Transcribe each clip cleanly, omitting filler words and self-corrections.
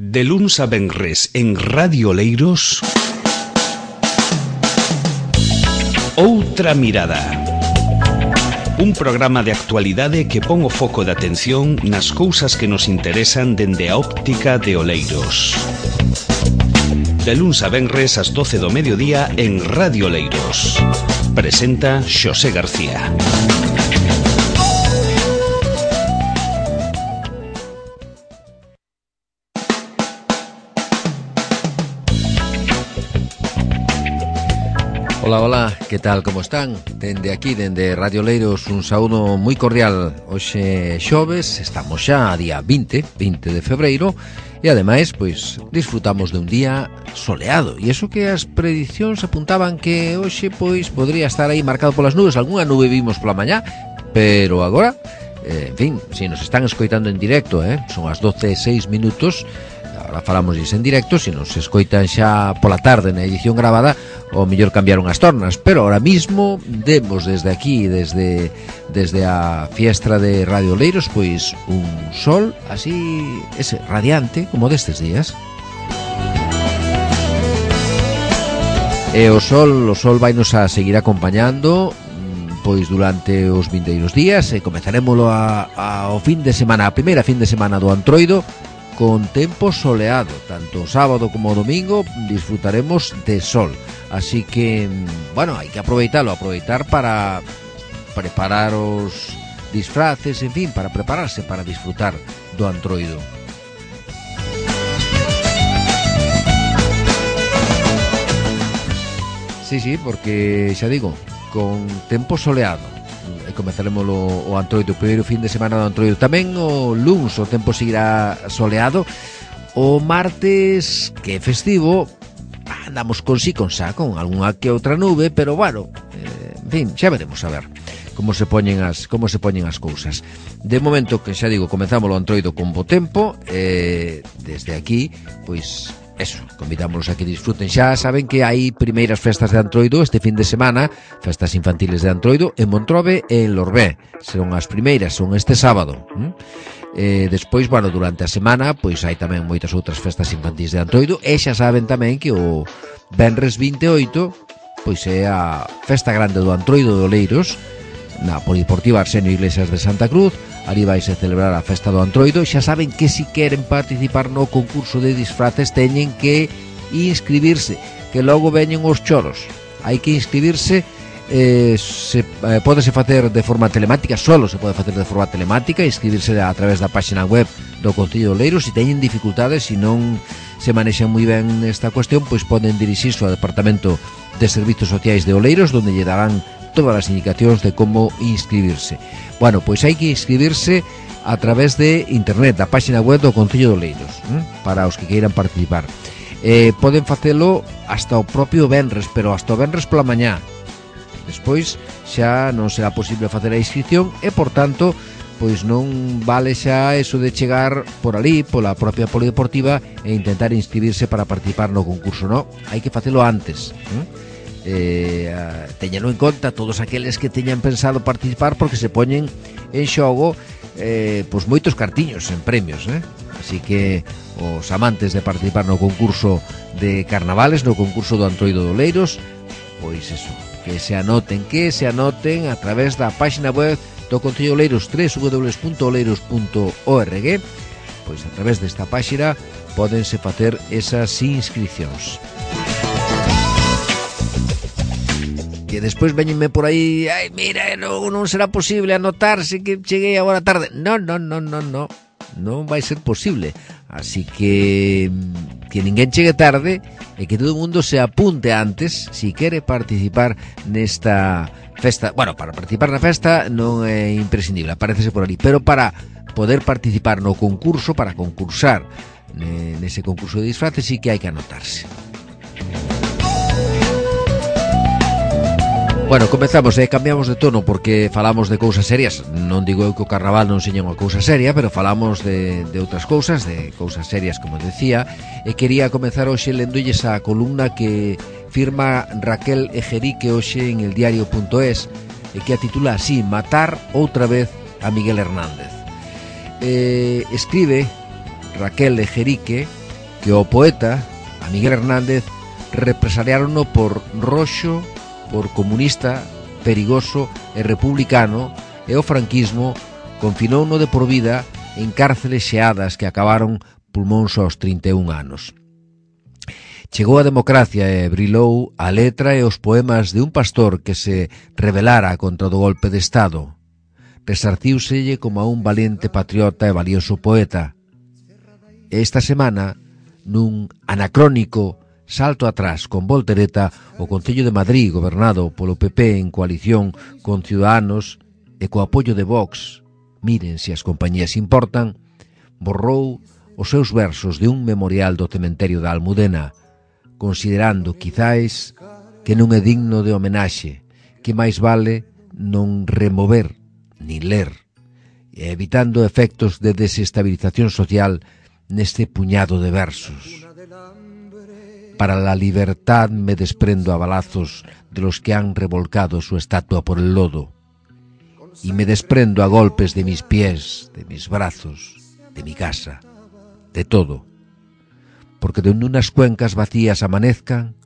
De luns a venres en Radio Oleiros, Outra Mirada. Un programa de actualidade que pon o foco de atención nas cousas que nos interesan dende a óptica de Oleiros. De luns a venres ás 12 do mediodía en Radio Oleiros. Presenta Xosé García. Hola, hola, que tal, como están? Dende aquí, dende Radio Oleiros, un saúdo moi cordial. Hoxe xoves, estamos xa a día 20 de febreiro, e ademais, pois, disfrutamos de un día soleado. E iso que as predicións apuntaban que hoxe, pois, podría estar aí marcado polas nubes. Algúna nube vimos pola mañá, pero agora, en fin, se nos están escoitando en directo, son as 12:06. Ahora falamos iso en directo. Se nos escoitan xa pola tarde na edición gravada, o mellor cambiaron as tornas, pero ahora mismo demos desde aquí, desde a fiestra de Radio Oleiros, pois un sol así, ese radiante, como destes días. E o sol vainos a seguir acompañando pois durante os vindeiros días, e comezaremoslo ao fin de semana, a primeira fin de semana do Antroido, con tempo soleado. Tanto sábado como domingo disfrutaremos de sol. Así que, bueno, hai que aproveitar para preparar os disfraces, en fin, para prepararse para disfrutar do Antroido. Sí, porque xa digo, con tempo soleado. E comezaremos o Antroido, o primeiro fin de semana do Antroido. Tamén o luns o tempo seguirá soleado. O martes, que é festivo, andamos con algunha que outra nube, pero bueno, en fin, xa veremos a ver como se poñen as cousas. De momento, que xa digo, comezamos o Antroido con bo tempo, desde aquí, pois eso, convidámonos a que disfruten. Xa saben que hai primeiras festas de Antroido este fin de semana, festas infantiles de Antroido en Montrobe e en Lorbé. Serán as primeiras, son este sábado. Despois, bueno, durante a semana, pois hai tamén moitas outras festas infantis de Antroido, e xa saben tamén que o venres 28, pois é a festa grande do Antroido de Oleiros, na Polideportiva Arsenio Iglesias de Santa Cruz. Ali vaise celebrar a festa do Antroido. Xa saben que si queren participar no concurso de disfraces teñen que inscribirse, que logo veñen os choros. Hai que inscribirse. Pódese facer de forma telemática, solo se pode facer de forma telemática, inscribirse a través da página web do Concello de Oleiros. Se teñen dificultades, se non se manexan moi ben esta cuestión, pois poden dirixirse ao Departamento de Servizos Sociais de Oleiros, donde lle darán todas as indicacións de como inscribirse. Bueno, pois hai que inscribirse a través de internet, da página web do Concello de Oleiros, para os que queiran participar. Poden facelo hasta o propio venres, pero hasta o venres pola mañá. Despois xa non será posible facer a inscripción e, por tanto, pois non vale xa eso de chegar por ali, pola propia Polideportiva, e intentar inscribirse para participar no concurso. Non, hai que facelo antes. Teñano en conta todos aqueles que teñan pensado participar, porque se poñen en xogo pois moitos cartiños en premios, así que os amantes de participar no concurso de carnavales, no concurso do Antroido de Oleiros, pois eso, que se anoten a través da página web do Concello de Oleiros, www.oleiros.org. Pois a través desta página pódense facer esas inscripcións. Que despois veñenme por aí, ai, mira, non será posible anotarse, que cheguei agora tarde. Non vai ser posible. Así que ninguén chegue tarde e que todo o mundo se apunte antes si quere participar nesta festa. Bueno, para participar na festa non é imprescindible, aparécese por ali, pero para poder participar no concurso, para concursar nese concurso de disfraces, sí que hai que anotarse. Bueno, comezamos, cambiamos de tono porque falamos de cousas serias. Non digo eu que o carnaval non seña unha cousa seria, pero falamos de outras cousas, de cousas serias, como decía. E quería comezar hoxe lendolles a columna que firma Raquel Ejerique hoxe en eldiario.es, e que a titula así: Matar outra vez a Miguel Hernández. Escribe Raquel Ejerique que o poeta, a Miguel Hernández, represaliárono por roxo, por comunista, perigoso e republicano, e o franquismo confinouno de por vida en cárceles xeadas que acabaron pulmóns aos 31 anos. Chegou a democracia e brilou a letra e os poemas de un pastor que se rebelara contra o golpe de Estado. Resarciúselle como a un valente patriota e valioso poeta. Esta semana, nun anacrónico salto atrás con voltereta, o Concello de Madrid, gobernado polo PP en coalición con Ciudadanos e co apoio de Vox, miren se as compañías importan, borrou os seus versos de un memorial do cementerio da Almudena, considerando, quizáis, que non é digno de homenaxe, que máis vale non remover ni ler, e evitando efectos de desestabilización social neste puñado de versos. Para la libertad me desprendo a balazos de los que han revolcado su estatua por el lodo, y me desprendo a golpes de mis pies, de mis brazos, de mi casa, de todo, porque donde unas cuencas vacías amanezcan,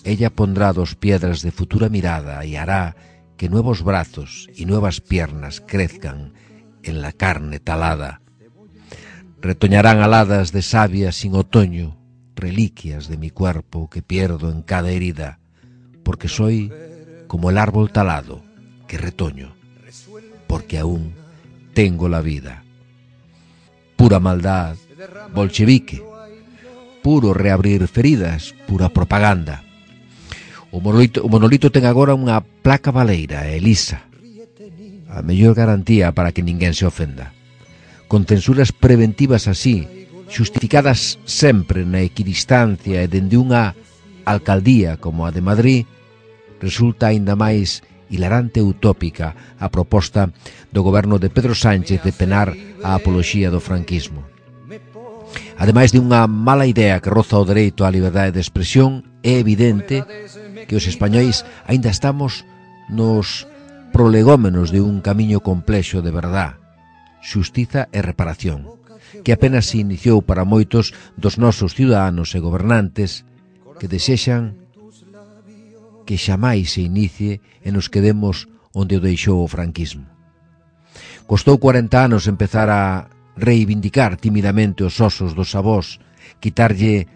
ella pondrá dos piedras de futura mirada y hará que nuevos brazos y nuevas piernas crezcan en la carne talada. Retoñarán aladas de savia sin otoño, reliquias de mi cuerpo que pierdo en cada herida, porque soy como el árbol talado que retoño, porque aún tengo la vida. Pura maldad, bolchevique, puro reabrir feridas, pura propaganda. O monolito ten agora unha placa baleira e lisa, a mellor garantía para que ninguén se ofenda. Con censuras preventivas así, xustificadas sempre na equidistancia e dende unha alcaldía como a de Madrid, resulta aínda máis hilarante e utópica a proposta do goberno de Pedro Sánchez de penar a apoloxía do franquismo. Ademais de unha mala idea que roza o dereito á liberdade de expresión, é evidente que os españois aínda estamos nos prolegómenos de un camiño complexo de verdad, xustiza e reparación, que apenas se iniciou para moitos dos nosos ciudadanos e gobernantes que desexan que xamais se inicie e nos quedemos onde o deixou o franquismo. Costou 40 anos empezar a reivindicar timidamente os osos dos avós, quitarlle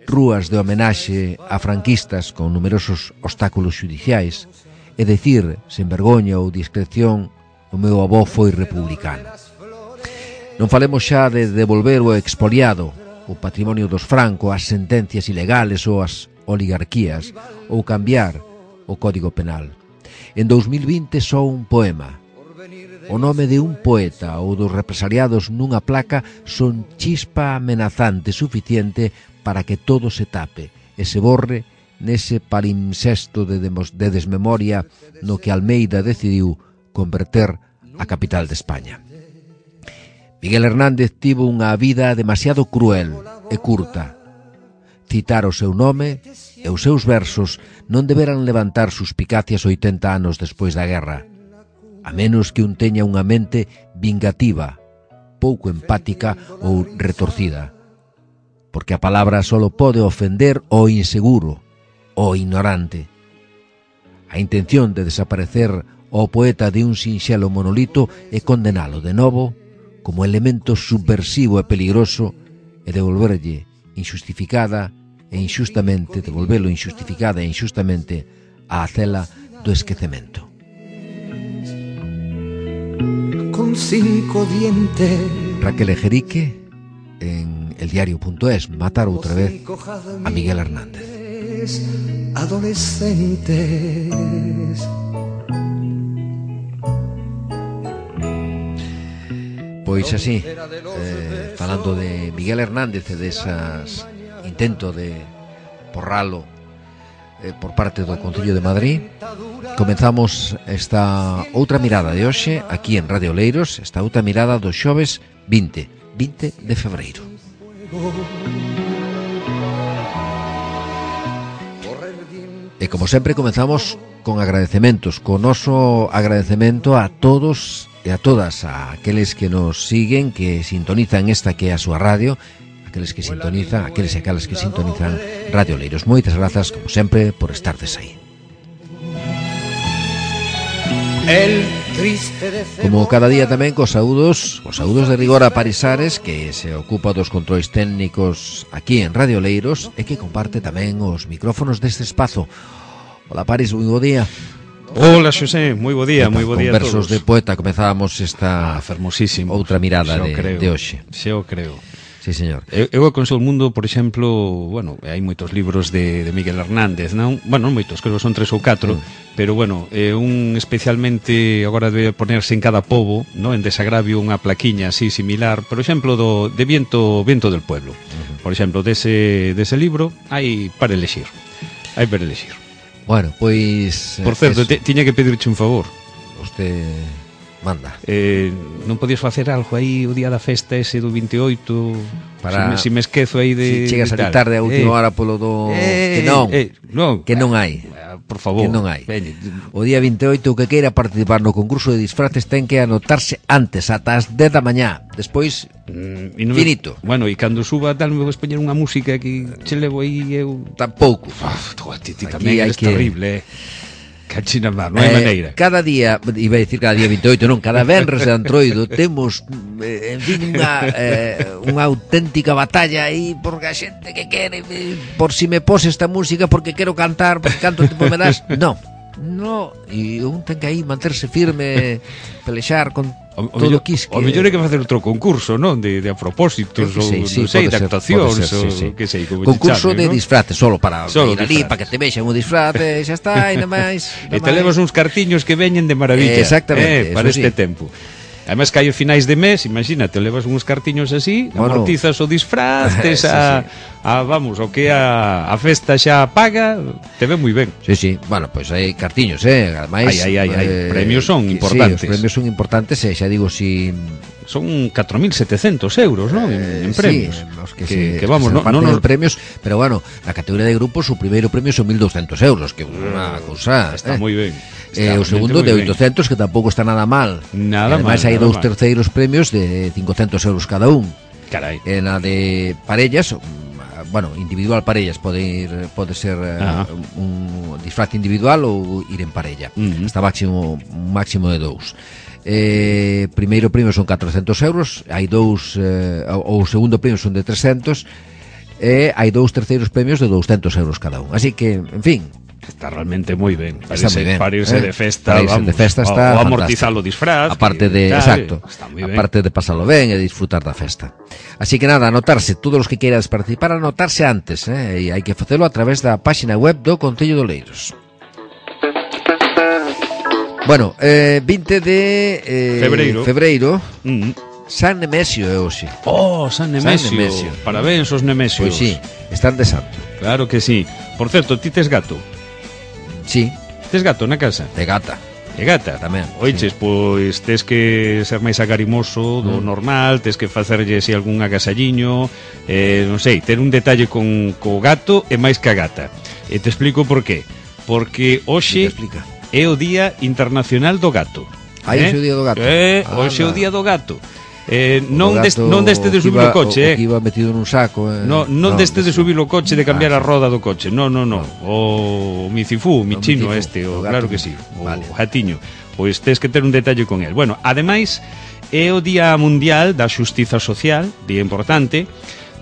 rúas de homenaxe a franquistas con numerosos obstáculos xudiciais e decir, sen vergoña ou discreción, o meu avó foi republicano. Non falemos xa de devolver o expoliado, o patrimonio dos Franco, as sentencias ilegales ou as oligarquías, ou cambiar o Código Penal. En 2020 só un poema. O nome de un poeta ou dos represaliados nunha placa son chispa amenazante suficiente para que todo se tape e se borre nese palimpsesto de desmemoria no que Almeida decidiu converter a capital de España. Miguel Hernández tivo unha vida demasiado cruel e curta. Citar o seu nome e os seus versos non deberan levantar suspicacias 80 anos despois da guerra, a menos que un teña unha mente vingativa, pouco empática ou retorcida, porque a palabra só pode ofender o inseguro, o ignorante. A intención de desaparecer o poeta de un sinxelo monolito é condenalo de novo como elemento subversivo e peligroso e devolverlo injustificada e injustamente á cela do esquecemento. Con 5 dientes. Raquel Ejerique en eldiario.es. Matar outra vez a Miguel Hernández. Adolescentes. Pois así, falando de Miguel Hernández e desas intento de porralo por parte do Concello de Madrid, comenzamos esta outra mirada de hoxe aquí en Radio Oleiros, esta outra mirada do xoves 20 de febreiro. E como sempre comenzamos con agradecementos, con noso agradecemento a todos e a todas aqueles que nos siguen, que sintonizan esta que é a súa radio, aqueles que sintonizan, aqueles e aquelas que sintonizan Radio Oleiros. Moitas grazas, como sempre, por estardes aí. Como cada día tamén cos saúdos de rigor a Parisares, que se ocupa dos controis técnicos aquí en Radio Oleiros e que comparte tamén os micrófonos deste espazo. Hola Paris, moi bo día. Hola Xosé, moi bo día, moi bo día a todos. Con versos de poeta comezábamos esta fermosísimo outra mirada de hoxe. Xeo creo. Sí, señor. Eu aconsello o mundo, por exemplo, bueno, hai moitos libros de Miguel Hernández, non? Bueno, non moitos, creo que son 3 ou 4, pero bueno, un especialmente agora debe ponerse en cada pobo, non? En desagravio unha plaquiña así similar, por exemplo, de Viento del Pueblo. Por exemplo, dese libro hai para elexir. Hai para elexir. Bueno, pois... Por certo, tiña que pedirche un favor. Usted manda. Non podías facer algo aí o día da festa ese do 28 para si me esquezo aí de... Si chegas a tarde a última hora polo do... que non hai. Por favor. Que non hai. O día 28 o que queira participar no concurso de disfraces ten que anotarse antes, ata as 10 da mañá. Despois, finito. Bueno, e cando suba tal me vou poñer unha música que che levo aí eu... Tampouco. Ti tamén eres terrible, Cachina má, non hai maneira. Cada día, iba a dicir cada día 28, non, cada venres de Antroido temos, en fin, unha auténtica batalla aí, porque a xente que quere, por si me pose esta música porque quero cantar, porque canto tempo me das, non, e un ten que aí manterse firme, pelexar con todo o quisque. O mellor é que facer outro concurso, non? De a propósitos, ou non sei, de actuacións, ou que sei, como concurso de disfraces, solo para ir ali, para que te vexan o disfraz, e xa está, e nada máis. E te levas uns cartiños que veñen de maravilla. Exactamente. Para este tempo. Además que hai os finais de mes, imagínate, levas uns cartiños así, amortizas o disfraz, tes vamos, o que a festa xa paga, te ve moi ben. Sí, bueno, pois hai cartiños, ademais hai, premios son importantes. Sí, os premios son importantes, xa digo, si... Son 4.700 euros, non? En premios. Sí, que vamos, non en premios, pero bueno, na categoría de grupos o primeiro premio son 1.200 euros, que é unha cousa... Está moi ben. O segundo de 800, que tampouco está nada mal. Ademais hai dous terceiros premios de 500 euros cada un. Carai. Na de parellas, bueno, individual parellas, pode ser un disfraz individual ou ir en parella. Hasta un máximo de 2. Primeiro premio son 400 euros, hai dous, o segundo premio son de 300, e hai dous terceiros premios de 200 euros cada un. Así que, en fin, está realmente moi ben. Para irse de festa, vamos, de festa está o amortizar o disfraz. Aparte de, exacto, aparte de pasarlo ben e disfrutar da festa. Así que nada, anotarse, todos os que queiras participar, anotarse antes, e hai que facelo a través da páxina web do Concello de Oleiros. Bueno, 20 de febreiro. San Nemesio é hoxe. San Nemesio. Parabéns aos Nemesios. Pois sí, están de santo. Claro que sí. Por certo, ti tes gato? Sí. Tes gato na casa? De gata. De gata? Tamén. Oiches, pois tes que ser máis agarimoso do normal, tes que facerlle si algún agasalliño, non sei, ter un detalle co gato e máis que a gata. E te explico por qué. Porque hoxe é o Día Internacional do Gato. Hoxe é o Día do Gato. Hoxe é o Día do Gato. Non deste de subir o coche, que iba metido nun saco, non deste de subir o coche, de cambiar a roda do coche. No. O micifú, o michino este, claro que sí, o jatiño. Pois tes que ter un detalle con el. Bueno, ademais é o Día Mundial da Xustiza Social, día importante,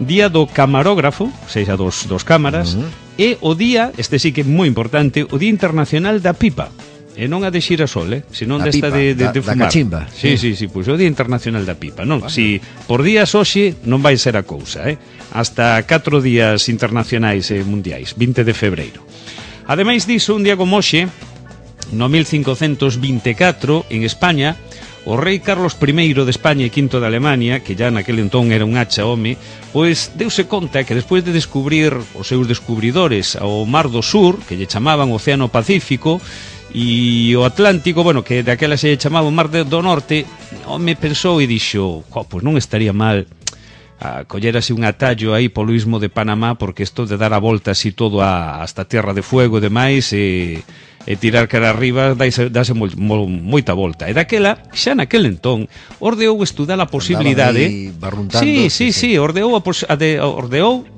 Día do Camarógrafo, sexa dos cámaras, e o día, este sí que é moi importante, o Día Internacional da Pipa. E non a de xirasol, senón desta de fumar. Da cachimba. Sí, pois o Día Internacional da Pipa, non? Si por días hoxe non vai ser a cousa, hasta 4 días internacionais e mundiais, 20 de febreiro. Ademais diso, un día como hoxe, no 1524, en España, o rei Carlos I de España e V de Alemania, que ya naquele entón era un hacha home, pois deuse conta que despois de descubrir os seus descubridores ao Mar do Sur, que lle chamaban Océano Pacífico, e o Atlántico, bueno, que daquela se chamaba o Mar do Norte, home pensou e dixo, pois non estaría mal a coller así un atallo aí polo istmo de Panamá, porque isto de dar a volta así todo hasta Tierra de Fuego e demais, e tirar cara arriba dase moita volta. E daquela, xa naquel entón, ordeou estudar a posibilidade... Sí, ordeou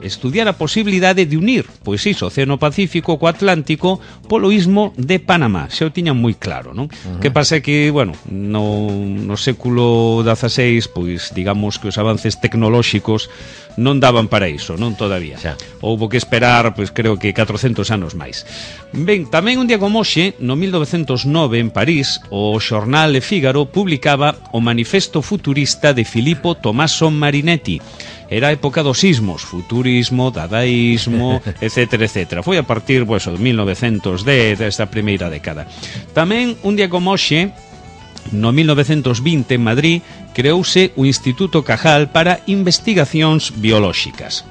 estudiar a posibilidade de unir, pois iso, o Océano Pacífico co Atlántico polo istmo de Panamá. Xa o tiñan moi claro, non? Que pasa que, bueno, no século XVI, pois, digamos que os avances tecnolóxicos non daban para iso, non todavía. Xa. Houbo que esperar, pois creo que 400 anos máis. Ben, tamén un día como hoxe, no 1909 en París, o xornal Le Figaro publicaba o Manifesto Futurista de Filippo Tommaso Marinetti. Era a época dos sismos, futurismo, dadaísmo, etcétera, etcétera. Foi a partir, pois, de 1910, desta primeira década. Tamén un día como hoxe, no 1920 en Madrid, creouse o Instituto Cajal para Investigacións Biolóxicas.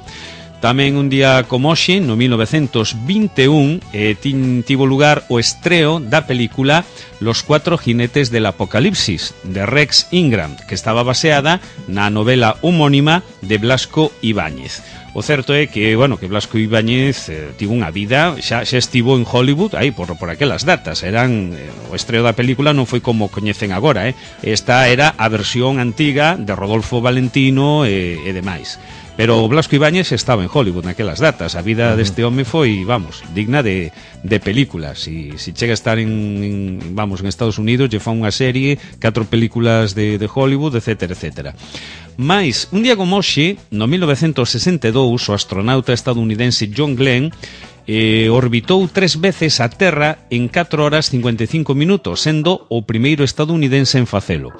Tamén un día como hoxe, no 1921, tivo lugar o estreo da película Los cuatro jinetes del apocalipsis, de Rex Ingram, que estaba baseada na novela homónima de Blasco Ibáñez. O certo é que, bueno, que Blasco Ibáñez tivo unha vida, xa estivo en Hollywood aí por aquelas datas, eran o estreo da película non foi como coñecen agora, esta era a versión antiga de Rodolfo Valentino e demais. Pero Blasco Ibáñez estaba en Hollywood naquelas datas. A vida deste home foi, vamos, digna de película. Si chega a estar en Estados Unidos, lle fan unha serie, 4 películas de Hollywood, etcétera, etcétera. Mais, un día como hoxe, no 1962, o astronauta estadounidense John Glenn orbitou 3 veces a Terra en 4 horas 55 minutos, sendo o primeiro estadounidense en facelo.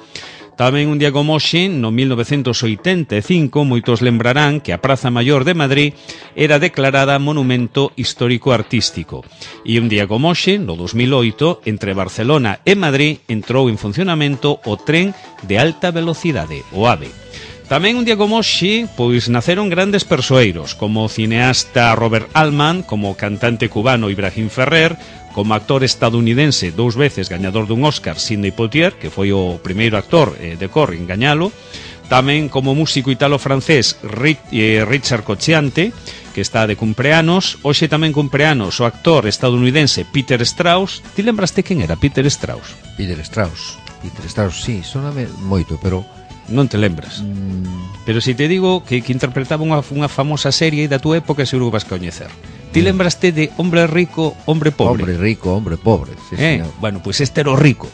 Tamén un día como hoxe, no 1985, moitos lembrarán que a Praza Maior de Madrid era declarada Monumento Histórico Artístico. E un día como hoxe, no 2008, entre Barcelona e Madrid entrou en funcionamento o tren de alta velocidade, o AVE. Tamén un día como hoxe, pois naceron grandes persoeiros, como o cineasta Robert Altman, como o cantante cubano Ibrahim Ferrer, como actor estadounidense 2 veces gañador dun Oscar, Sidney Poitier, que foi o primeiro actor de cor en gañalo, tamén como músico italo-francés Richard Cocciante, que está de cumpleanos, hoxe tamén cumpleanos o actor estadounidense Peter Strauss. Ti lembraste quen era Peter Strauss? Peter Strauss, sí, soname moito, pero... Non te lembras. Pero se te digo que interpretaba unha famosa serie da túa época, seguro que vas coñecer. Ti lembraste de Hombre Rico, Hombre Pobre? Hombre Rico, Hombre Pobre, sí, señor. Bueno, pois este era o rico.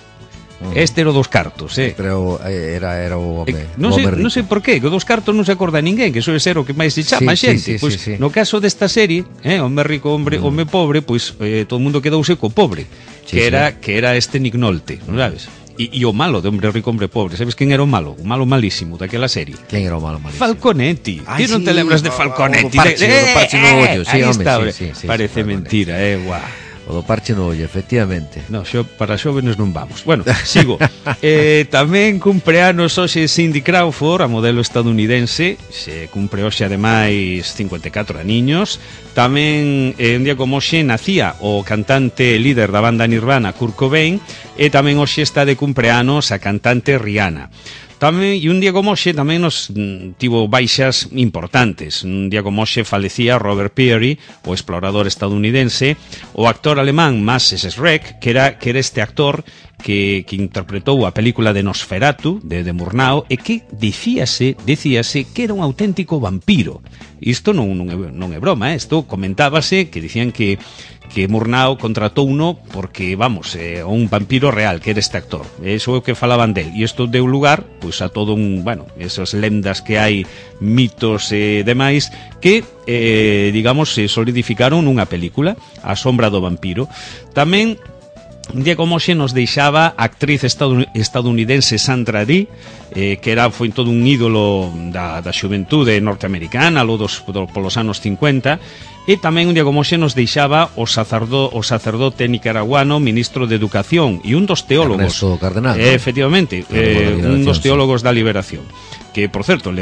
Este era o dos cartos, Pero era o home, non sei por qué, que o dos cartos non se acorda ninguén, que soe ser o que máis se chama xente. Pois no caso desta serie, Hombre Rico, Hombre Pobre, pois todo o mundo quedouse co pobre, que era este Nick Nolte, non sabes? E o malo de Hombre Rico, Hombre Pobre, sabes quen era o malo? O malo malísimo daquela serie. Quen era o malo malísimo? Falconetti. Ti non te lembras de Falconetti? O parche no ollo, sí, home, sí. Parece mentira, guau. O do parche no ollo, efectivamente. No, para xóvenes non vamos. Bueno, sigo. Tamén cumpleanos hoxe Cindy Crawford, a modelo estadounidense. Se cumpre hoxe ademais 54 aniños. Tamén un día como hoxe nacía o cantante líder da banda Nirvana, Kurt Cobain. E tamén hoxe está de cumpleanos a cantante Rihanna. Tamén, e un día como hoxe tamén nos tivo baixas importantes. Un día como hoxe falecía Robert Peary, o explorador estadounidense, o actor alemán Max Schreck, que era este actor que interpretou a película de Nosferatu, de Murnau, e que dicíase que era un auténtico vampiro. Isto non é broma, isto comentábase, que dicían que Murnau contratou uno porque, vamos, un vampiro real, que era este actor. Eso é o que falaban del. E isto deu lugar, pois, a todo esas lendas que hai, mitos e demais, que, digamos, se solidificaron nunha película, A sombra do vampiro. Tamén, un día como hoxe nos deixaba a actriz estadounidense Sandra Dee, que foi todo un ídolo da xuventude norteamericana polos anos 50, e tamén un día como hoxe nos deixaba o sacerdote nicaraguano, ministro de Educación, e un dos teólogos, Ernesto Cardenal, efectivamente, un dos teólogos da Liberación, que, por certo,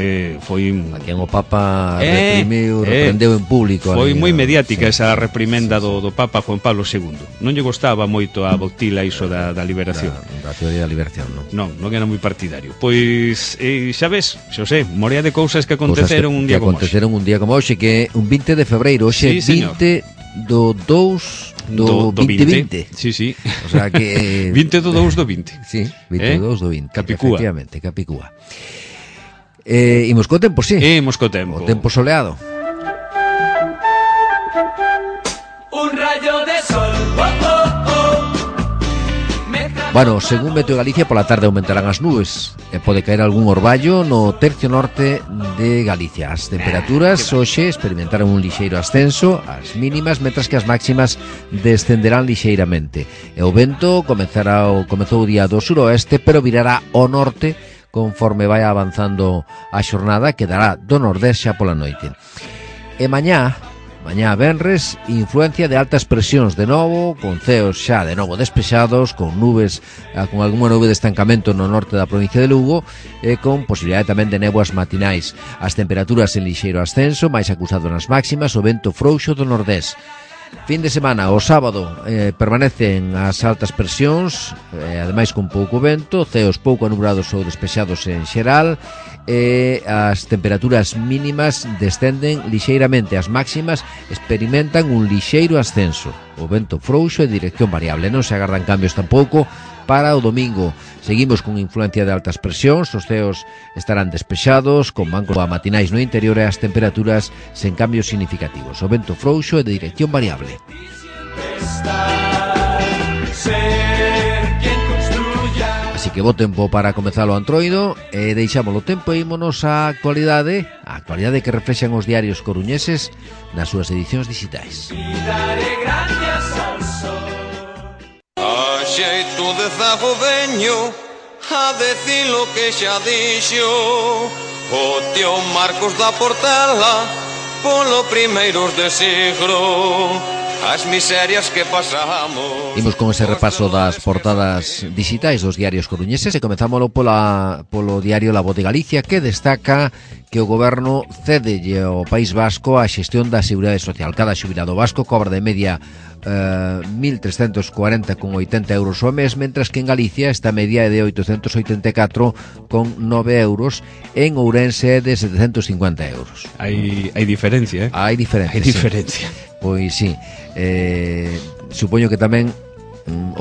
foi a quen o Papa reprendeu en público. Foi moi mediática esa reprimenda do Papa Juan Pablo II. Non lle gostaba moito a Botila iso da liberación. Da teoría da liberación, non? Non era moi partidario. Pois, xa ves, Xosé, morea de cousas que aconteceron un día como hoxe. Que aconteceron un día como hoxe, que é un 20 de febreiro, hoxe, sí, 20 do 2 do 2020. Sí, sí. O sea que 20 do 2 do 20. Sí, 22 do 20. Capicúa. Efectivamente, Capicúa. Imos co tempo, sí. Imos co tempo. O tempo soleado. Un rayo de sol, oh, oh, oh. Bueno, según Meteo Galicia, pola tarde aumentarán as nubes e pode caer algún orballo no tercio norte de Galicia. As temperaturas hoxe experimentaron un lixeiro ascenso, as mínimas, mentras que as máximas descenderán lixeiramente. E o vento comezou o día do suroeste, pero virará ao norte conforme vai avanzando a xornada, que dará do nordés xa pola noite. E mañá venres, influencia de altas presións de novo, con ceos xa de novo despexados, con nubes, con algunha nube de estancamento no norte da provincia de Lugo, e con posibilidade tamén de néboas matinais. As temperaturas en lixeiro ascenso, máis acusado nas máximas, o vento frouxo do nordés. Fin de semana, o sábado, permanecen as altas presións, ademais con pouco vento, ceos pouco anubrados ou despexados en xeral, e as temperaturas mínimas descenden lixeiramente, as máximas experimentan un lixeiro ascenso. O vento frouxo e dirección variable, non se agardan cambios tampouco para o domingo. Seguimos con influencia de altas presións, os ceos estarán despexados, con bancos matinais no interior e as temperaturas sen cambios significativos. O vento frouxo e de dirección variable. Así que bo tempo para comezar o antroido e deixámolo tempo e ímonos á actualidade que reflexan os diarios coruñeses nas súas edicións digitais. A xeito de zago veño a decir lo que xa dixo o tío Marcos da Portela polo primeiros de siglo. As miserias que pasamos. Imos con ese repaso das portadas digitais dos diarios coruñeses e comenzámoslo polo diario La Voz de Galicia, que destaca que o goberno cédelle ao País Vasco a xestión da Seguridade Social. Cada xubilado vasco cobra de media 1.340,80 euros ao mes, mentras que en Galicia esta media é de 884,9 euros, en Ourense é de 750 euros. Hai diferencia, Hai diferencia. Pois sí, supoño que tamén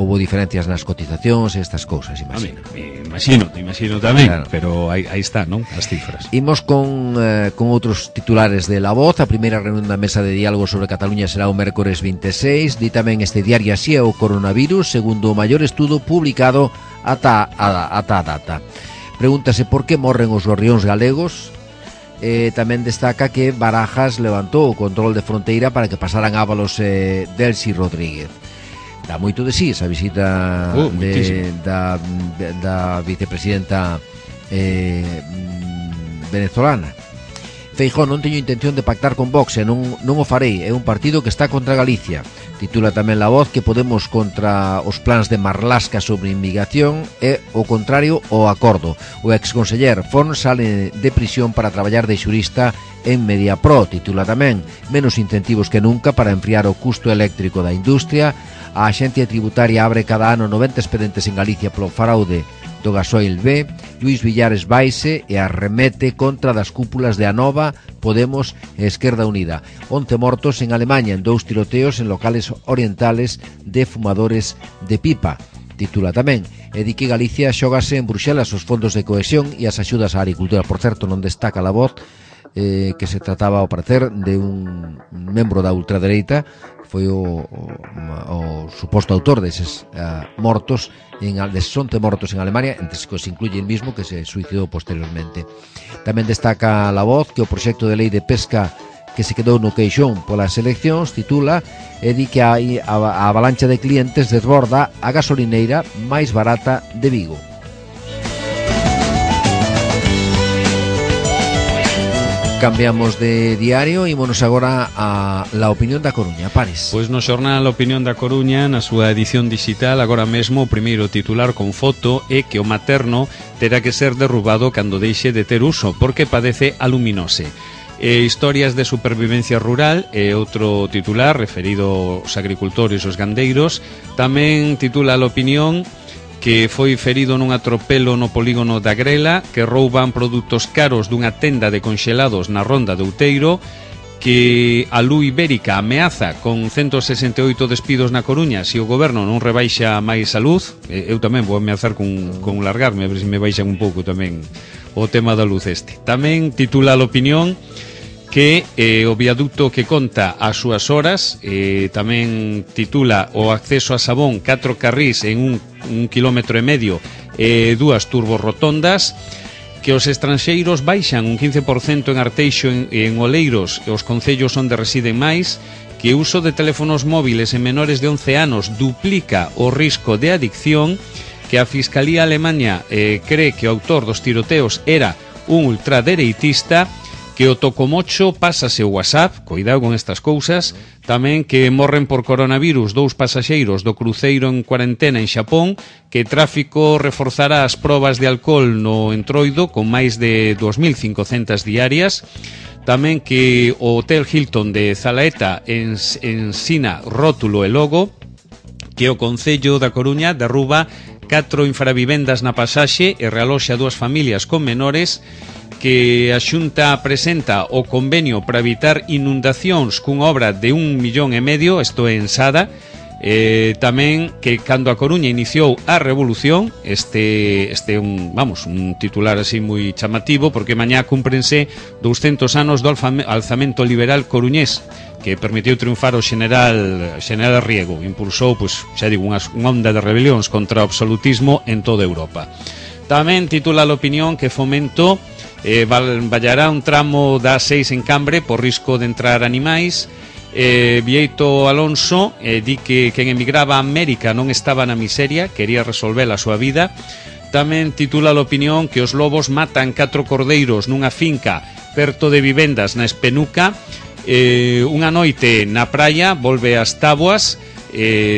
houbo diferencias nas cotizacións e estas cousas, imagino. Imagino tamén, claro. Pero aí está, non? As cifras. Imos con outros titulares de La Voz. A primeira reunión da mesa de diálogo sobre Cataluña será o mércores 26. Di tamén este diario así é o coronavirus, segundo o maior estudo publicado ata a data. Pregúntase por que morren os gorrións galegos. Tamén destaca que Barajas levantou o control de fronteira para que pasaran Ábalos e Delcy Rodríguez. Dá moito de sí esa visita da vicepresidenta venezolana. Feijóo: non teño intención de pactar con Vox e non o farei, é un partido que está contra Galicia. Titula tamén La Voz que Podemos contra os plans de Marlaska sobre inmigración e o contrario ao acordo. O exconseller Fon sale de prisión para traballar de xurista en Mediapro. Titula tamén Menos incentivos que nunca para enfriar o custo eléctrico da industria. A Axencia Tributaria abre cada ano 90 expedientes en Galicia polo fraude do gasoil B. Luís Villares vaise e arremete contra das cúpulas de Anova, Podemos e Esquerda Unida. 11 mortos en Alemanha en 2 tiroteos en locales orientales de fumadores de pipa. Titula tamén e di que Galicia xógase en Bruxelas os fondos de cohesión e as axudas á agricultura. Por certo, non destaca La Voz que se trataba, ao parecer, de un membro da ultradereita. Foi o suposto autor deses mortos, deses 11 mortos en Alemania, entre os que se incluye el mismo que se suicidou posteriormente. Tamén destaca La Voz que o proxecto de lei de pesca que se quedou no queixón polas eleccións, titula, e di que a avalancha de clientes desborda a gasolineira máis barata de Vigo. Cambiamos de diario e ímonos agora a La Opinión da Coruña. Pares. Pois no xornal La Opinión da Coruña, na súa edición digital, agora mesmo o primeiro titular con foto é que o materno terá que ser derrubado cando deixe de ter uso, porque padece aluminose. Historias de supervivencia rural é outro titular referido aos agricultores e aos gandeiros. Tamén titula La Opinión que foi ferido nun atropelo no polígono da Grela, que rouban produtos caros dunha tenda de conxelados na Ronda de Outeiro, que a Luz Ibérica ameaza con 168 despidos na Coruña se o goberno non rebaixa máis a luz. Eu tamén vou ameazar con largarme, a ver se me baixan un pouco tamén o tema da luz este. Tamén titula a opinión que o viaducto que conta as súas horas, tamén titula o acceso a Sabón, 4 carrís en un quilómetro e medio e 2 turborrotondas, que os estranxeiros baixan un 15% en Arteixo e en Oleiros e os concellos onde residen máis, que o uso de teléfonos móviles en menores de 11 anos duplica o risco de adicción, que a Fiscalía Alemania cree que o autor dos tiroteos era un ultradereitista, que o tocomocho pásase o WhatsApp, cuidado con estas cousas, tamén que morren por coronavirus 2 pasaxeiros do cruceiro en cuarentena en Xapón, que tráfico reforzará as probas de alcohol no Entroido con máis de 2.500 diarias, tamén que o Hotel Hilton de Zalaeta ensina rótulo e logo, que o Concello da Coruña derruba 4 infravivendas na pasaxe e realoxa 2 familias con menores, que a Xunta presenta o convenio para evitar inundacións cunha obra de 1,5 millóns, isto é en Sada, tamén que cando a Coruña iniciou a revolución, este un titular así moi chamativo, porque mañá cúmprense 200 anos do alzamento liberal coruñés, que permitiu triunfar o general Riego, impulsou, xa digo, unha onda de rebelións contra o absolutismo en toda Europa. Tamén titula a opinión que Fomento vallará un tramo da 6 en Cambre por risco de entrar animais. Vieito Alonso di que quen emigraba a América non estaba na miseria, quería resolver a súa vida. Tamén titula a opinión que os lobos matan 4 cordeiros nunha finca perto de vivendas na Espenuca. Unha noite na praia volve as táboas.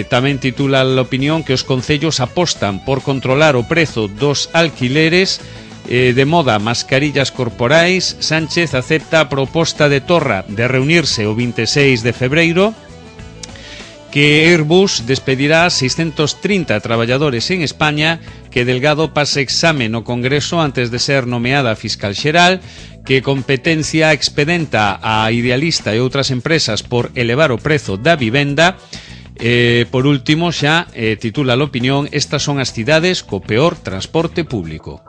Tamén titula a opinión que os concellos apostan por controlar o prezo dos alquileres. De moda, mascarillas corporais. Sánchez acepta a proposta de Torra de reunirse o 26 de febreiro. Que Airbus despedirá 630 traballadores en España. Que Delgado pase exame no Congreso antes de ser nomeada fiscal xeral. Que Competencia expedenta a Idealista e outras empresas por elevar o prezo da vivenda. Por último, xa titula a opinión, estas son as cidades co peor transporte público.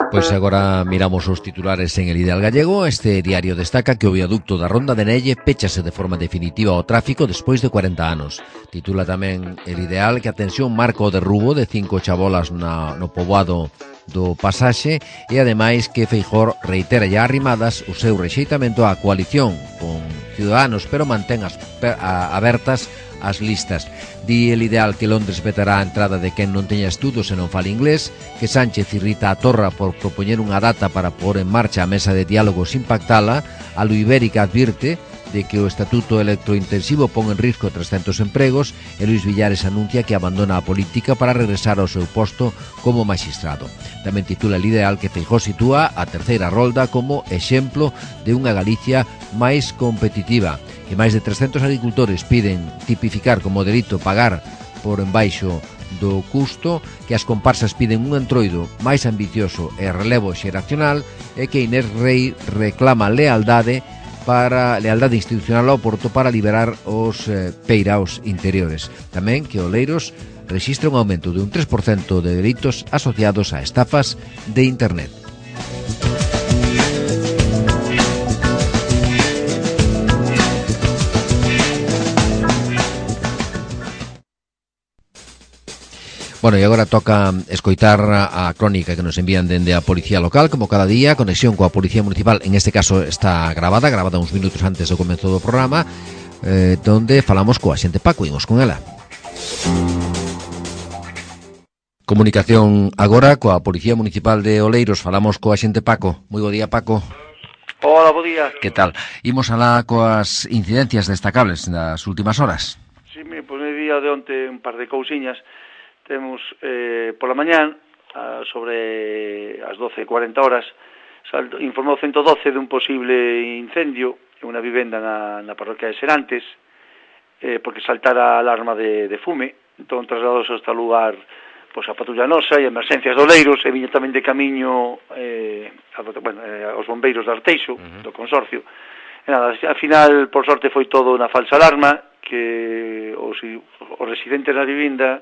Pois agora miramos os titulares en El Ideal Gallego. Este diario destaca que o viaducto da Ronda de Nelle péchase de forma definitiva ao tráfico despois de 40 anos. Titula tamén El Ideal que a tensión marca o derrubo de 5 chabolas no poboado do Pasaxe e ademais que Feijóo reitera ya arrimadas o seu rexeitamento á coalición con Ciudadanos, pero mantén abertas as listas. Di El Ideal que Londres vetará a entrada de quen non teña estudos e non fale inglés, que Sánchez irrita a Torra por propoñer unha data para pôr en marcha a mesa de diálogo sin pactala. A Luz Ibérica advirte de que o estatuto electrointensivo pon en risco 300 empregos e Luis Villares anuncia que abandona a política para regresar ao seu posto como magistrado. Tamén titula El Ideal que Feijóo sitúa a terceira rolda como exemplo de unha Galicia máis competitiva, que máis de 300 agricultores piden tipificar como delito pagar por embaixo do custo, que as comparsas piden un entroido máis ambicioso e relevo xeracional e que Inés Rei reclama lealdade institucional ao Porto para liberar os peiraos interiores. Tamén que Oleiros rexistra un aumento de un 3% de delitos asociados a estafas de Internet. Bueno, e agora toca escoitar a crónica que nos envían dende a Policía Local, como cada día, conexión coa Policía Municipal, en este caso está grabada uns minutos antes do comezo do programa, donde falamos coa xente Paco, imos con ela. Comunicación agora coa Policía Municipal de Oleiros, falamos coa xente Paco. Moi bo día, Paco. Hola, bo día. Que tal? Imos alá coas incidencias destacables das últimas horas. Sí, pois no día de onte un par de cousiñas. Temos pola mañán, sobre as 12:40 horas, informou 112 dun posible incendio en unha vivenda na parroquia de Serantes, porque saltara a alarma de fume. Entón trasladouse hasta o lugar a patrulla nosa e emerxencias de Oleiros, e viña tamén de camiño aos bombeiros de Arteixo, do consorcio, E nada, ao final, por sorte, foi todo unha falsa alarma, que os residentes da vivinda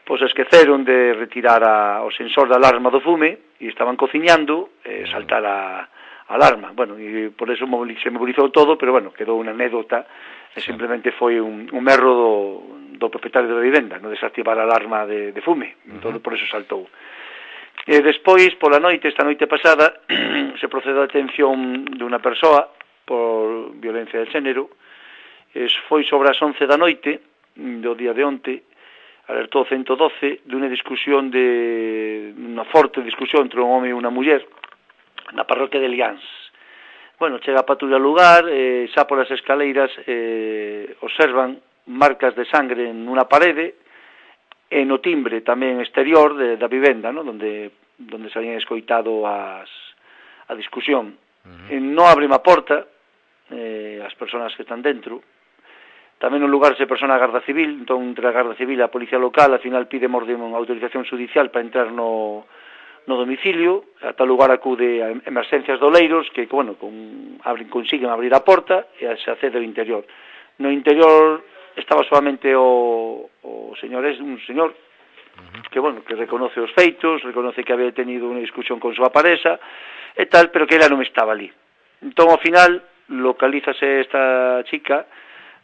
pois esqueceron de retirar o sensor de alarma do fume e estaban cociñando e saltar a alarma. Bueno, e por eso se mobilizou todo, pero bueno, quedou unha anécdota e simplemente foi un erro do propietario da vivenda, non desactivar a alarma de fume, entón por eso saltou. E despois, pola noite, esta noite pasada, se procedeu a detención dunha persoa por violencia de xénero. Foi sobre as 11 da noite do día de onte, alertou 112 dunha discusión unha forte discusión entre un home e unha muller na parroquia de Liáns. Bueno, chega a patrulla ao lugar, xa polas escaleiras observan marcas de sangre nunha parede e no timbre tamén exterior da vivenda, ¿no? donde se habían escoitado a discusión. Non abren a porta as persoas que están dentro. Tamén no lugar se persona a Garda Civil, entón entre a Garda Civil e a Policía Local, al final pide unha autorización judicial para entrar no domicilio, a tal lugar acude a emerxencias de Oleiros, que, bueno, consiguen abrir a porta e se accede ao interior. No interior estaba solamente un señor que, bueno, que reconoce os feitos, reconoce que había tenido unha discusión con súa pareja e tal, pero que ela non estaba ali. Entón, ao final, localízase esta chica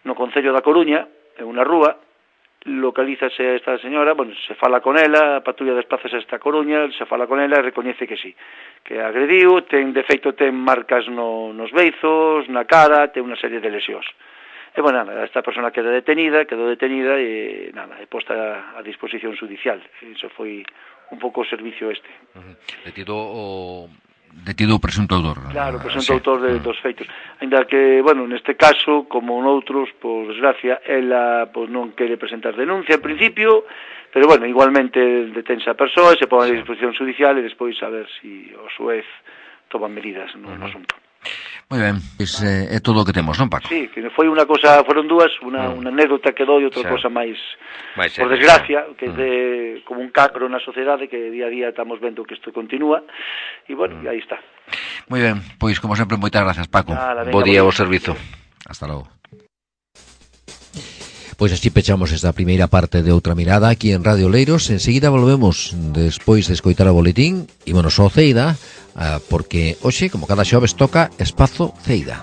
no concello da Coruña, en unha rúa, localízase esta señora, bueno, se fala con ela, a patrulla desplázase a esta Coruña, se fala con ela e recoñece que sí, que agrediu, de feito ten marcas nos beizos, na cara, ten unha serie de lesións. E, bueno, nada, esta persona quedou detenida e, nada, é posta a disposición judicial. Iso foi un pouco o servicio este. Detido o presunto autor. Claro, o presunto autor dos feitos. Ainda que, bueno, neste caso, como noutros, por desgracia, ela non quere presentar denuncia en principio, pero, bueno, igualmente detense a persoa e se pon a disposición judicial e despois a ver se o xuez toman medidas no asunto. Moi ben, é todo o que temos, non, Paco? Sí, que foi unha cosa, foron dúas, unha anécdota que doi, outra cosa máis por desgracia, que é como un cancro na sociedade, que día a día estamos vendo que isto continúa, e, bueno, aí está. Moi ben, pois, como sempre, moitas gracias, Paco. Venga, bo día ao servizo. Hasta logo. Pois así pechamos esta primeira parte de Outra Mirada aquí en Radio Oleiros. Enseguida volvemos despois de escoitar o boletín. Ímonos ao Ceida, porque hoxe, como cada xoves, toca Espazo Ceida.